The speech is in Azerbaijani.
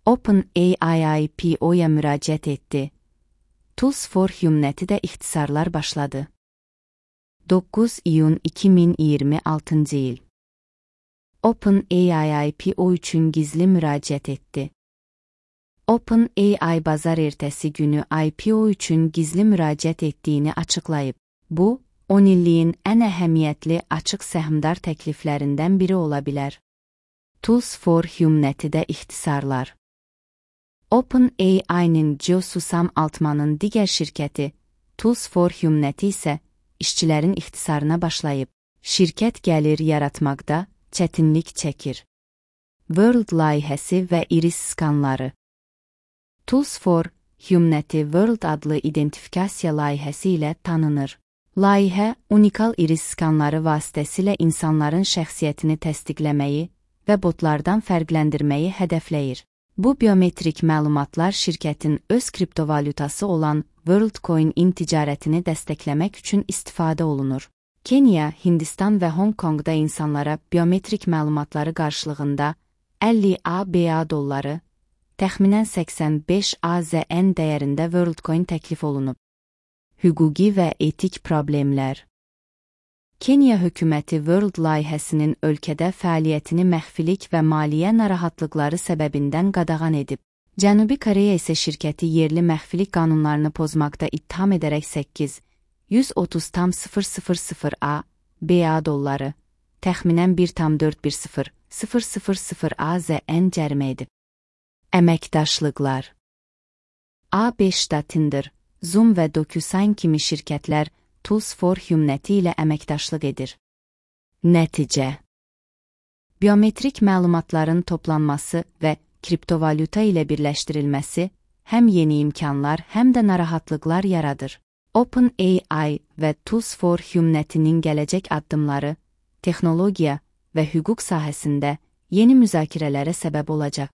OpenAI IPO'ya müraciət etdi. Tools for Humanity də ixtisarlar başladı. 9 iyun 2026 il. OpenAI IPO üçün gizli müraciət etdi. OpenAI bazar ertəsi günü IPO üçün gizli müraciət etdiyini açıqlayıb. Bu, 10 illiyin ən əhəmiyyətli açıq səhmdar təkliflərindən biri ola bilər. Tools for Humanity-də ixtisarlar. OpenAI-nin Joe Susam Altman'ın digər şirkəti, Tools for Humanity isə işçilərin ixtisarına başlayıb. Şirkət gəlir yaratmaqda çətinlik çəkir. World layihəsi və iris skanları. Tools for Humanity World adlı identifikasiya layihəsi ilə tanınır. Layihə, unikal iris skanları vasitəsilə insanların şəxsiyyətini təsdiqləməyi və botlardan fərqləndirməyi hədəfləyir. Bu biometrik məlumatlar şirkətin öz kriptovalyutası olan WorldCoin-in ticarətini dəstəkləmək üçün istifadə olunur. Kenya, Hindistan və Hong Kongda insanlara biometrik məlumatları qarşılığında 50 ABA dolları, təxminən 85 AZN dəyərində WorldCoin təklif olunub. Hüquqi və etik problemlər. Kenya hökuməti World layihəsinin ölkədə fəaliyyətini məxfilik və maliyyə narahatlıqları səbəbindən qadağan edib. Cənubi Koreya isə şirkəti yerli məxfilik qanunlarını pozmaqda ittiham edərək 130,000 ABA dolları, təxminən 1,410,000 AZN cərimə edib. Əməkdaşlıqlar. A5-da Tinder, Zoom və DocuSign kimi şirkətlər Tools for Humanity ilə əməkdaşlıq edir. Nəticə. Biometrik məlumatların toplanması və kriptovalyuta ilə birləşdirilməsi həm yeni imkanlar, həm də narahatlıqlar yaradır. OpenAI və Tools for Humanity-nin gələcək addımları texnologiya və hüquq sahəsində yeni müzakirələrə səbəb olacaq.